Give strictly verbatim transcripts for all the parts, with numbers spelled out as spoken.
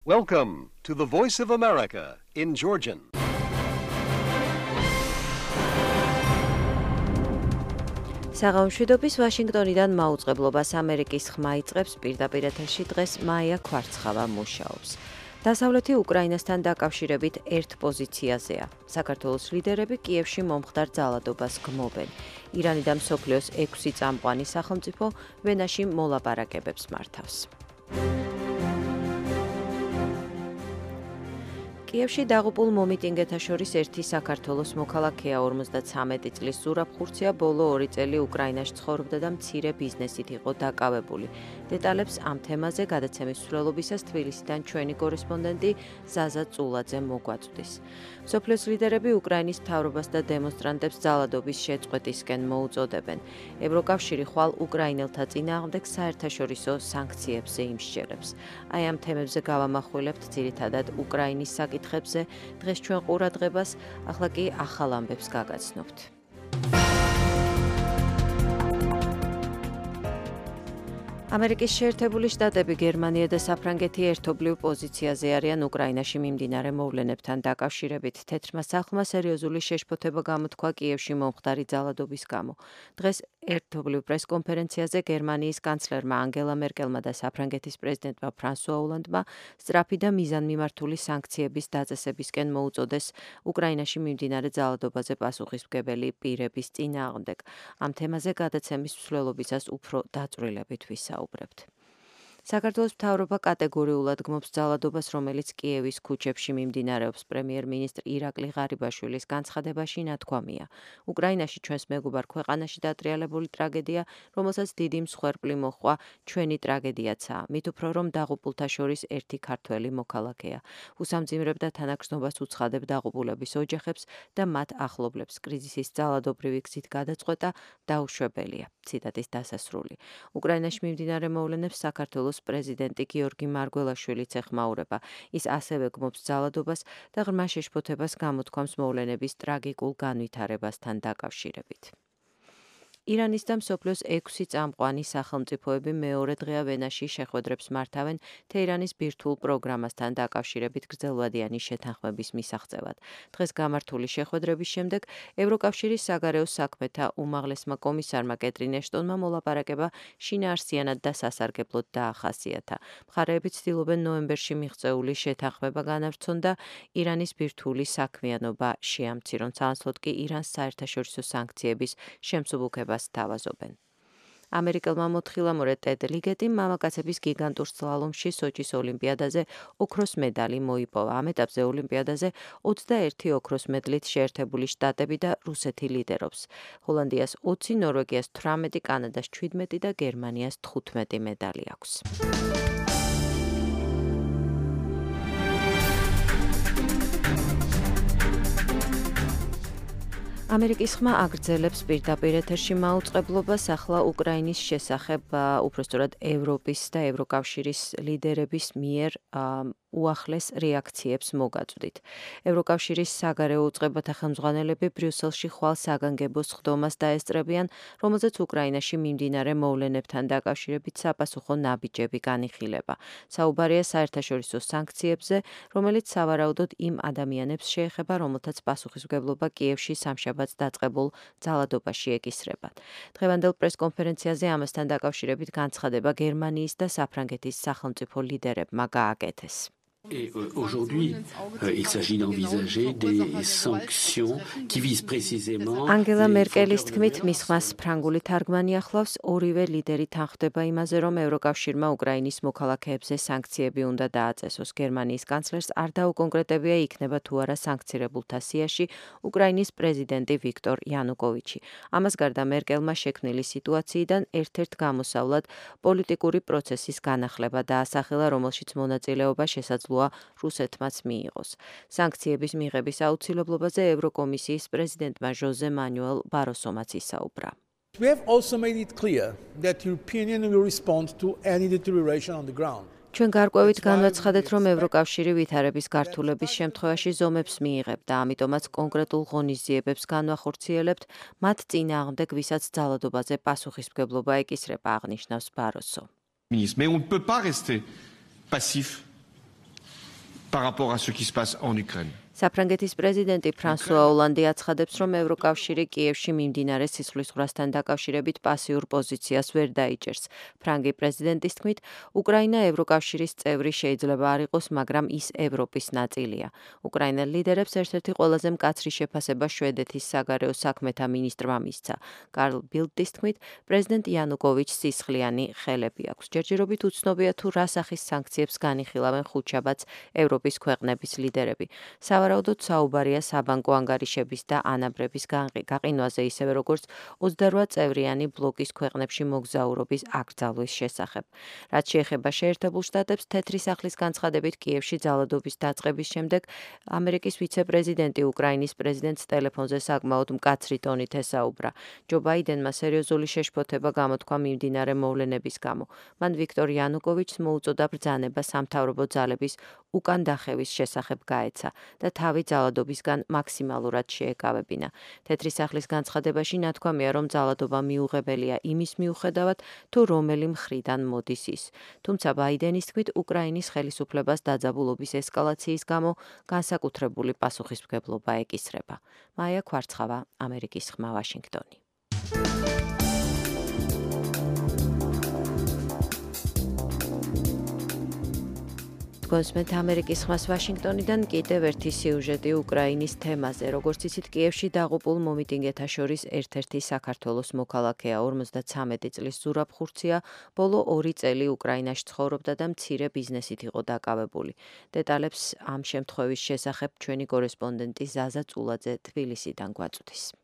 Welcome to the Voice of America in Georgian. საღამოშვიდობის ვაშინგტონიდან მაუწყებლობას ამერიკის ხმა იწყებს პირდაპირ ეთერში დღეს მაია ქვარცხავა მუშაობს. დასავლეთი უკრაინასთან დაკავშირებით ერთ პოზიციაზეა. საქართველოს ლიდერები კიევში მომხდარ ძალადობას გმობენ. ირანი და მსოფლიოს ექვსი წამყვანი სახელმწიფო ვენაში მოლაპარაკებებს მართავს. კიევში დაღუპულ მომიტინგეთა შორის ერთი საქართველოს მოქალაქეა ორმოცდათვრამეტი წლის ზურაბ ხურცია ბოლო ორი წელი უკრაინაში ცხოვრობდა და მცირე ბიზნესით იყო დაკავებული. დეტალებს ამ თემაზე გადაცემის მსვლელობისას თბილისიდან ჩვენი კორესპონდენტი ზაზა წულაძე მოგვაწვდის. მსოფლიოს ლიდერები უკრაინის მთავრობას და დემონსტრანტებს ძალადობის შეწყვეტისკენ მოუწოდებენ. ევროკავშირი ხვალ უკრაინელთა წინააღმდეგ საერთაშორისო სანქციებზე იმსჯერებს. აი ამ თემებზე გავამახვილებთ ძირითადად უკრაინის საკითხებზე დღეს ჩვენ ყურადღებას, ახლა კი ახალ ამბებს გაგაცნობთ. ამერიკის შეერთებული შტატები, გერმანია და საფრანგეთი ერთობლივ პოზიციაზე არიან უკრაინაში მიმდინარე მოვლენებთან დაკავშირებით. თეთრმა სახლმა სერიოზული შეშფოთება გამოთქვა კიევში მომხდარი ძალადობის გამო. დღეს ერთობლივ პრესკონფერენციაზე გერმანიის კანცლერმა ანგელა მერკელმა და საფრანგეთის პრეზიდენტმა ფრანსუა ოლანდმა სწრაფი და მიზანმიმართული სანქციების დაწესებისკენ მოუწოდეს უკრაინაში მიმდინარე ძალადობაზე პასუხისმგებელი პირების წინააღმდეგ. ამ თემაზე გადაცემის მსვლელობისას უფრო დაწვრილებით ვისაუბრებთ. საქართველოს მთავრობა კატეგორიულად გმობს ძალადობას, რომელიც კიევის ქუჩებში მიმდინარეობს. პრემიერ-მინისტრ ირაკლი ღარიბაშვილის განცხადებაში ნათქვამია. უკრაინაში ჩვენს მეგობარ ქვეყანაში დატრიალებული ტრაგედია, რომელსაც დიდი მსხვერპლი მოჰყვა, ჩვენი ტრაგედიაცაა. მით უფრო რომ დაღუპულთა შორის ერთი ქართველი მოქალაქეა. უსამძიმრებ და თანაგრძნობას უცხადებ დაღუპულების ოჯახებს და მათ ახლობლებს. კრიზისის ძალადობრივი გზით გადაწყვეტა დაუშვებელია. ციტატის დასასრული. უკრაინაში მიმდინარე მოვლენებს საქართველოს პრეზიდენტი გიორგი მარგველაშვილიც ეხმაურება. ის ასევე გმობს ძალადობას და ღრმა შეშფოთებას გამოთქვამს მოვლენების ტრაგიკულ განვითარებასთან დაკავშირებით. ირანის და მსოფლიოს ექვსი წამყვანი სახელმწიფოები მეორე დღეა ვენაში შეხვედრებს მართავენ თეირანის ბირთვულ პროგრამასთან დაკავშირებით გრძელვადიანი შეთანხმების მისაღწევად. დღეს გამართული შეხვედრების შემდეგ ევროკავშირის საგარეო საქმეთა უმაღლესმა კომისარმა კეტრინ ეშტონმა მოლაპარაკება შინაარსიანად და სასარგებლოდ დაახასიათა. მხარეები ცდილობენ ნოემბერში მიღწეული შეთანხმება განავრცონ და ირანის ბირთვული საქმიანობა შეამცირონ. სანაცვლოდ კი ირანს საერთაშორისო სანქციების შემსუბუქება თავაზობენ. ამერიკელმა მოთხილამურე ტედ ლიგეტიმ მამაკაცების გიგანტურ სლალომში სოჩის ოლიმპიადაზე ოქროს მედალი მოიპოვა. ამ ეტაპზე ოლიმპიადაზე ოცდაერთი ოქროს მედლით შეერთებული შტატები და რუსეთი ლიდერობს. ჰოლანდიას ოცი, ნორვეგიას თვრამეტი, კანადას ჩვიდმეტი და გერმანიას თხუთმეტი მედალი აქვს. ამერიკის ხმა აგრძელებს პირდაპირ ეთერში მაუწყებლობას ახლა უკრაინის შესახებ, უпростоრად ევროპის და ევროკავშირის ლიდერების მიერ უახლეს რეაქციებს მოგაწვდით. ევროკავშირის საგარეო უწყებათა ხელმძღვანელები ბრიუსელში ხვალ საგანგებო სხდომას დაესწრებიან, რომელზეც უკრაინაში მიმდინარე მოვლენებთან დაკავშირებით საპასუხო ნაბიჯები განიხილება. საუბარია საერთაშორისო სანქციებზე, რომელიც სავარაუდოდ იმ ადამიანებს შეეხება, რომელთაც პასუხისმგებლობა კიევში სამშაბათს დაწყებულ ძალადობაში ეკისრებათ. დღევანდელ პრესკონფერენციაზე ამასთან დაკავშირებით განცხადება გერმანიის და საფრანგეთის სახელმწიფო ლიდერებმა გააკეთეს. Et aujourd'hui, euh, il s'agit d'envisager des sanctions qui visent précisément. ანგელა მერკელის თქმით, მის ხმას ფრანგული თარგმანი ახლავს, ორივე ლიდერი თანხმდება იმაზე, რომ ევროკავშირმა უკრაინის მოქალაქეებზე სანქციები უნდა დააწესოს. გერმანიის კანცლერს არ დაუკონკრეტებია იქნება თუ არა სანქცირებულთა სიაში უკრაინის პრეზიდენტი ვიქტორ იანუკოვიჩი. ამას გარდა მერკელმა შექმნილი სიტუაციიდან ერთ-ერთ გამოსავლად პოლიტიკური პროცესის განახლება დაასახელა, რომელშიც მონაწილეობა შესაძლოა რუსეთმაც მიიღოს. სანქციების მიღების აუცილებლობაზე ევროკომისიის პრეზიდენტმა ჟოზე მანუელ ბაროსომაც ისაუბრა. We have also made it clear that the European Union will respond to any deterioration on the ground. ჩვენ გარკვევით განვაცხადეთ, რომ ევროკავშირი ვითარების გართულების შემთხვევაში ზომებს მიიღებთ და ამიტომაც კონკრეტულ ღონისძიებებს განვახორციელებთ მათ წინააღმდეგ, ვისაც ძალადობაზე პასუხისმგებლობა ეკისრება, აღნიშნავს ბაროსო. Mais on ne peut pas rester passif par rapport à ce qui se passe en Ukraine. საფრანგეთის პრეზიდენტი ფრანსუა ოლანდი აცხადებს, რომ ევროკავშირი კიევში მიმდინარე სისხლისღვრასთან დაკავშირებით პასიურ პოზიციას ვერ დაიჭერს. ფრანგი პრეზიდენტის თქმით, უკრაინა ევროკავშირის წევრი შეიძლება არ იყოს, მაგრამ ის ევროპის ნაწილია. უკრაინელ ლიდერებს ერთ-ერთი ყველაზე მკაცრი შეფასება შვედეთის საგარეო საქმეთა მინისტრმა მისცა. კარლ ბილდის თქმით, პრეზიდენტ იანუკოვიჩს სისხლიანი ხელები აქვს. ჯერჯერობით უცნობია თუ რა სახის სანქციებს განიხილავენ ხუთშაბათს ევროპის ქვეყნების ლიდერები. სავარაუდოდ საუბარია საბანკო ანგარიშების და ანაბრების გაყინვაზე, ისევე როგორც ოცდარვა წევრიანი ბლოკის ქვეყნებში მოგზაურობის აკრძალვის შესახებ. რაც შეეხება შეერთებულ შტატებს, თეთრი სახლის განცხადებით კიევში ძალადობის დაწყების შემდეგ ამერიკის ვიცე-პრეზიდენტი უკრაინის პრეზიდენტს ტელეფონზე საკმაოდ მკაცრი ტონით ესაუბრა. ჯო ბაიდენმა სერიოზული შეშფოთება გამოთქვა მიმდინარე მოვლენების გამო. მან ვიქტორ იანუკოვიჩს მოუწოდა ბრძანება სამთავრობო ძალების უკან დახევის შესახებ გაეცა და თავი ძალადობისგან მაქსიმალურად შეეკავებინა. თეთრი სახლის განცხადებაში ნათქვამია, რომ ძალადობა მიუღებელია იმის მიუხედავად, თუ რომელი მხრიდან მოდის ის. თუმცა ბაიდენის თქმით, უკრაინის ხელისუფლებას დაძაბულობის ესკალაციის გამო განსაკუთრებული პასუხისმგებლობა ეკისრება. მაია ქვარცხავა, ამერიკის ხმა, ვაშინგტონი. გონსმენთ ამერიკის ხმას ვაშინგტონიდან კიდევ ერთი სიუჟეტი უკრაინის თემაზე. როგორც იცით, კიევში დაღუპულ მომიტინგეთა შორის ერთ-ერთი საქართველოს მოქალაქეა, ორმოცდაცამეტი წლის ზურაბ ხურცია, ბოლო ორი წელი უკრაინაში ცხოვრობდა და მცირე ბიზნესით იყო დაკავებული. დეტალებს ამ შემთხვევის შესახებ ჩვენი კორესპონდენტი ზაზა წულაძე თბილისიდან გვაწვდის.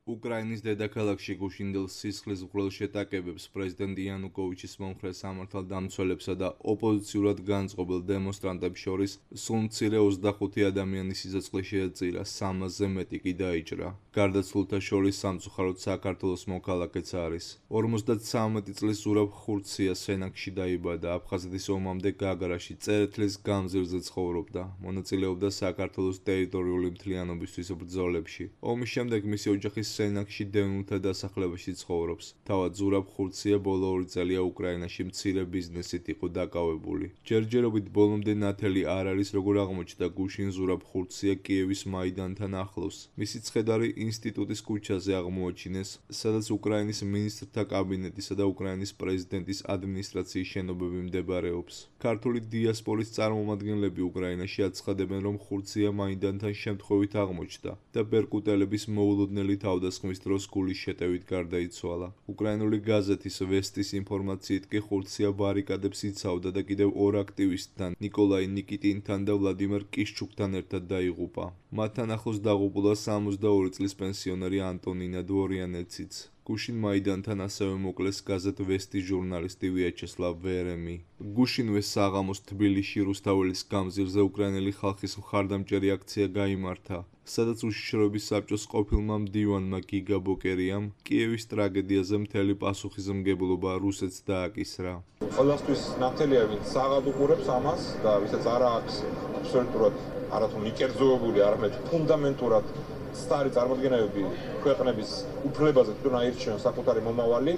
უკრაინის დედაქალაქში გუშინდელ სისხლისღვრელ შეტაკებებს პრეზიდენტ იანუკოვიჩის მომხრე სამართალდამცველებსა და ოპოზიციურად განწყობილ დემონსტრანტებს შორის სულ მცირე ოცდახუთი ადამიანის სიცოცხლე შეეწირა, სამასზე მეტი კი დაიჭრა. გარდაცვლილთა შორის სამწუხაროდ საქართველოს მოქალაქეც არის. ორმოცდაცამეტი წლის ზურაბ ხურცია სენაკში დაიბადა, აფხაზეთის ომამდე გაგრაში წერეთლის გამზირზე ცხოვრობდა. მონაწილეობდა საქართველოს ტერიტორიული მთლიანობისთვის ბრძოლებში. ომის შემდეგ მისი ოჯახის სენაკში დევნილთა დასახლებაში ცხოვრობს. თავად ზურაბ ხურცია ბოლო ორი წელია უკრაინაში მცირე ბიზნესით იყო დაკავებული. ჯერჯერობით ბოლომდე ნათელი არ არის, როგორ აღმოჩნდა გუშინ ზურაბ ხურცია კიევის მაიდანთან ახლოს. მისი ცხედარი ინსტიტუტის ქუჩაზე აღმოაჩინეს, სადაც უკრაინის მინისტრთა კაბინეტისა და უკრაინის პრეზიდენტის ადმინისტრაციის შენობები მდებარეობს. ქართული დიასპორის წარმომადგენლები უკრაინაში აცხადებენ, რომ ხურცია მაიდანთან შემთხვევით აღმოჩნდა და ბერკუტელების მოულოდნელი თავდასხმის დროს გულის შეტევით გარდაიცვალა. უკრაინული გაზეთის ვესტის ინფორმაციით კი ხურცია ბარიკადებს იცავდა და კიდევ ორ აქტივისტთან, ნიკოლაი ნიკიტინთან და ვლადიმერ კიშჩუკთან ერთად დაიღუპა. მათთან ახლოს დაღუპულა სამოცდაორი წლის პენსიონერი ანტონინა დვორიანეციც. გუშინ მაიდანთან ასევე მოკლეს გაზეთ ვესტის ჟურნალისტი ვიაჩესლავ ვერემი. გუშინვე საღამოს თბილისში რუსთაველის გამზირზე უკრაინელი ხალხის მხარდამჭერი აქცია გაიმართა, სადაც უშიშროების საბჭოს ყოფილმა მდივანმა გიგა ბოკერიამ კიევის ტრაგედიაზე მთელი პასუხისმგებლობა რუსეთს დააკისრა. ყველასთვის ნათელია, ვინც საღად უყურებს ამას და ვისაც არ აქვს აბსოლუტურად არათუ მიკერძოებული, არამედ ფუნდამენტურად სტარი წარმოდგენები ქვეყნების უფლებაზე თვითონ აირჩიონ საკუთარი მომავალი,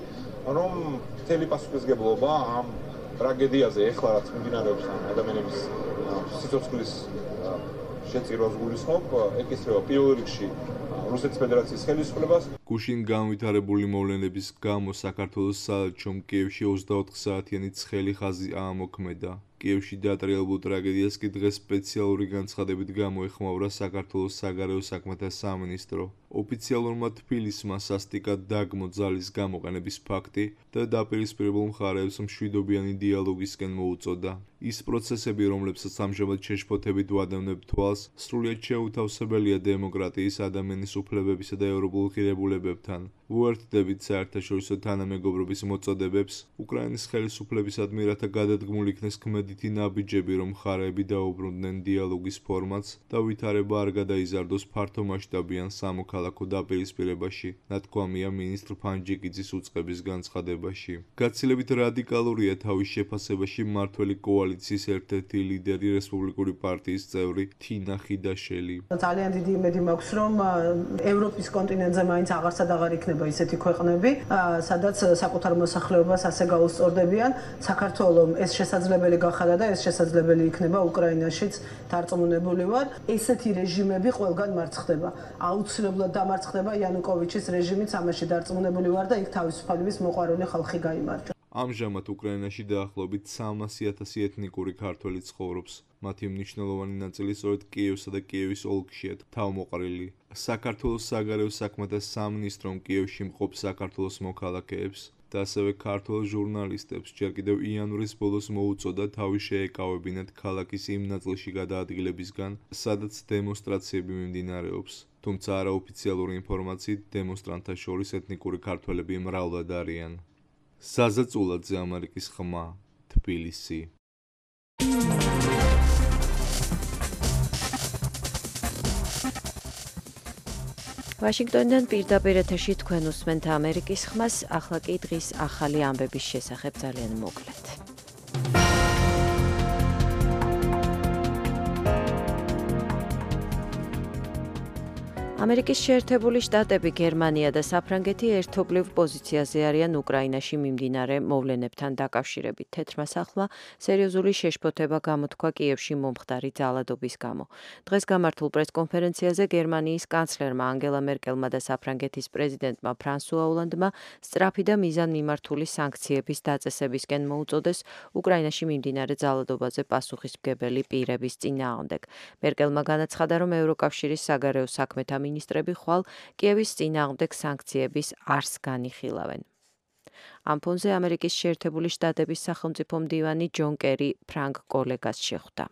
რომ მთელი პასუხისმგებლობა ამ ტრაგედიაზე ეხლა რაც მიმდინარეობს ადამიანების სიცოცხლის შეწირვას გულისხმობ, ეკისრება პირველ რიგში რუსეთის ფედერაციის ხელისუფლებას. გუშინ განვითარებული მოვლენების გამო საქართველოს საელჩომ კიევში ოცდაოთხ საათიანი ცხელი ხაზი აამოქმედა. კიევში დაატრიალებულ ტრაგედიას კი დღეს სპეციალური განცხადებით გამოეხმაურა საქართველოს საგარეო საქმეთა სამინისტრო. ოფიციალურმა თბილისმა სასტიკად დაგმო ძალის გამოყენების ფაქტი და დაპირისპირებულ მხარეებს მშვიდობიანი დიალოგისკენ მოუწოდა. ის პროცესები, რომლებსაც ამჟამად შეშფოთებით ვადევნებ თვალს, სრულიად შეუთავსებელია დემოკრატიის, ადამიანის უფლებებისა და ევროპულ ღირებულებებთან. ვუერთდებით საერთაშორისო თანამეგობრობის მოწოდებებს, უკრაინის ხელისუფლებისადმი, რათა გადადგმული იქნეს ქმედითი ნაბიჯები, რომ მხარეები დაუბრუნდნენ დიალოგის ფორმატს და ვითარება არ გადაიზარდოს ფართომასშტაბიან სამოქალაქო საქალაქო დაპირისპირებაში, ნათქვამია მინისტრ ფანჯიკიძის უწყების განცხადებაში. გაცილებით რადიკალურია თავის შეფასებაში მმართველი კოალიციის ერთ-ერთი ლიდერი რესპუბლიკური პარტიის წევრი თინა ხიდაშელი. ძალიან დიდი იმედი მაქვს, რომ ევროპის კონტინენტზე მაინც აღარსად აღარ იქნება ისეთი ქვეყნები, სადაც საკუთარ მოსახლეობას ასე გაუსწორდებიან. საქართველოს ეს შესაძლებელი გახადა და ეს შესაძლებელი იქნება უკრაინაშიც დარწმუნებული ვარ. ესეთი რეჟიმები ყველგან მარცხდება. აუცილებლად დამარცხდება იანუკოვიჩის რეჟიმიც, ამაში დარწმუნებული ვარ და იქ თავისუფლების მოყვარული ხალხი გაიმარჯვა. ამჟამად უკრაინაში დაახლოებით სამასი ათასი ეთნიკური ქართველი ცხოვრობს. მათი მნიშვნელოვანი ნაწილი სწორედ კიევსა და კიევის ოლქშია თავმოყრილი. საქართველოს საგარეო საქმეთა სამინისტრომ კიევში მყოფ საქართველოს მოქალაქეებს და ასევე ქართველ ჟურნალისტებს ჯერ კიდევ იანვრის ბოლოს მოუწოდა თავი შეეკავებინათ ქალაქის იმ ნაწილში გადაადგილებისგან, სადაც დემონსტრაციები მიმდინარეობს. თუმცა არაოფიციალური ინფორმაციით დემონსტრანტთა შორის ეთნიკური ქართველები მრავლად არიან. საზაწულაძე, ამერიკის ხმა, თბილისი. ვაშინგტონიდან პირდაპირ ეთერში თქვენ უსმენთ ამერიკის ხმას, ახლა კი დღის ახალი ამბების შესახებ ძალიან მოკლედ. ამერიკის შეერთებული შტატები, გერმანია და საფრანგეთი ერთობლივ პოზიციაზე არიან უკრაინაში მიმდინარე მოვლენებთან დაკავშირებით. თეთრმა სახლმა სერიოზული შეშფოთება გამოთქვა კიევში მომხდარი ძალადობის გამო. დღეს გამართულ პრესკონფერენციაზე გერმანიის კანცლერმა ანგელა მერკელმა და საფრანგეთის პრეზიდენტმა ფრანსუა ოლანდმა სწრაფი და მიზანმიმართული სანქციების დაწესებისკენ მოუწოდეს უკრაინაში მიმდინარე ძალადობაზე პასუხისმგებელი პირების წინააღმდეგ. მერკელმა განაცხადა, რომ ევროკავშირის საგარეო საქმეთა მინისტრები ხვალ კიევის წინააღმდეგ სანქციების არსს განიხილავენ. ამ ფონზე ამერიკის შეერთებული შტატების სახელმწიფო მდივანი ჯონ კერი ფრანგ კოლეგას შეხვდა.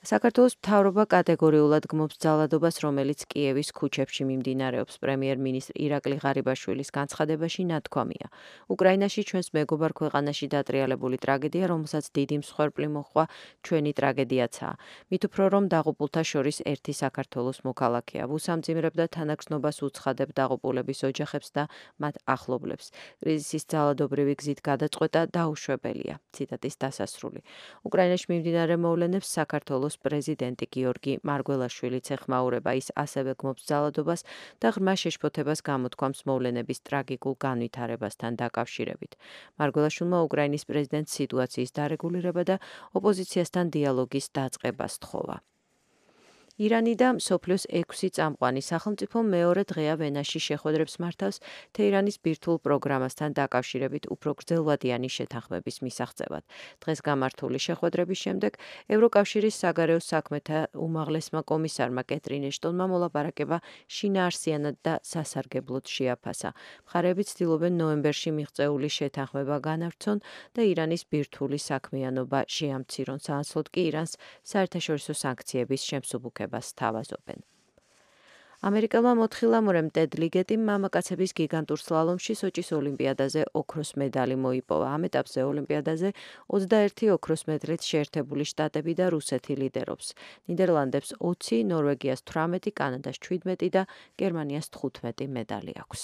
საქართველოს მთავრობა კატეგორიულად გმობს ძალადობას, რომელიც კიევის ქუჩებში მიმდინარეობს. პრემიერ-მინისტრ ირაკლი ღარიბაშვილის განცხადებაში ნათქვამია. უკრაინაში ჩვენს მეგობარ ქვეყანაში დატრიალებული ტრაგედია, რომელსაც დიდი მსხვერპლი მოჰყვა, ჩვენი ტრაგედიაცაა. მით უფრო რომ დაღუპულთა შორის ერთი საქართველოს მოქალაქეა. ვუსამძიმრებ და თანაგრძნობას უცხადებ დაღუპულების ოჯახებს და მათ ახლობლებს. კრიზისის ძალადობრივი გზით გადაწყვეტა დაუშვებელია. ციტატის დასასრული. უკრაინაში მიმდინარე მოვლენებს საქართველოს პრეზიდენტი გიორგი მარგველაშვილიც ეხმაურება. ის ასევე გმობს ძალადობას და ღრმა შეშფოთებას გამოთქვამს მოვლენების ტრაგიკულ განვითარებასთან დაკავშირებით. მარგველაშვილმა უკრაინის პრეზიდენტს სიტუაციის დარეგულირება და ოპოზიციასთან დიალოგის დაწყებას სთხოვა. ირანი და მსოფლიოს ექვსი წამყვანი სახელმწიფო მეორე დღეა ვენაში შეხვედრებს მართავს თეირანის ბირთვულ პროგრამასთან დაკავშირებით უფრო გრძელვადიანი შეთანხმების მისაღწევად. დღეს გამართული შეხვედრების შემდეგ ევროკავშირის საგარეო საქმეთა უმაღლესმა კომისარმა კეტრინ ეშტონმა მოლაპარაკება შინაარსიანად და სასარგებლოდ შეაფასა. მხარეები ცდილობენ ნოემბერში მიღწეული შეთანხმება განავრცონ და ირანის ბირთვული საქმიანობა შეამცირონ. საანცვლოდ კი ირანს საერთაშორისო სანქციების შემსუბუქება სთავაზობენ. ამერიკელმა მოთხილამურემ ტედ ლიგეტიმ მამაკაცების გიგანტურ სლალომში სოჭის ოლიმპიადაზე ოქროს медаლი მოიპოვა. ამ ეტაპზე ოლიმპიადაზე ოცდაერთი ოქროს მედლით შეერთებული შტატები და რუსეთი ლიდერობს. ნიდერლანდებს ოცი, ნორვეგიას თვრამეტი, კანადას შვიდმეტი და გერმანიას თხუთმეტი медаლი აქვს.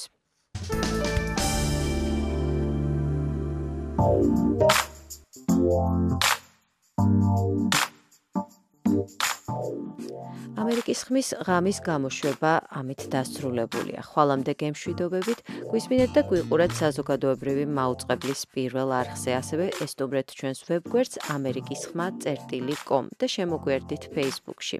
ამერიკის ხმის ღამის გამოშვება ამით დასრულებულია. ხვალამდე გემშვიდობებით, გვისმინეთ და გვიყურეთ საზოგადოებრივი მაუწყებლის პირველ არხზე, ასევე ესტუმრეთ ჩვენს ვებგვერდს ამერიკის ხმა წერტილი კომ და შემოგვიერთდით Facebook-ში.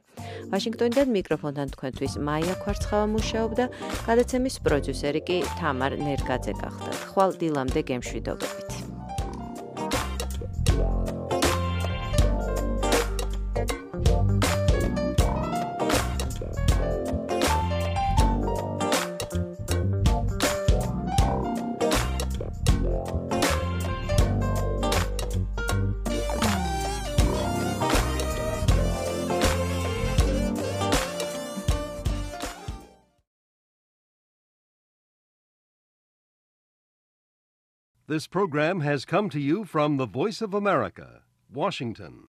ვაშინგტონიდან მიკროფონთან თქვენთვის მაია ქვარცხავა მუშაობდა, გადაცემის პროდიუსერი კი თამარ ნერგაძე გახდათ. ხვალ დილამდე გემშვიდობებით. This program has come to you from the Voice of America, Washington.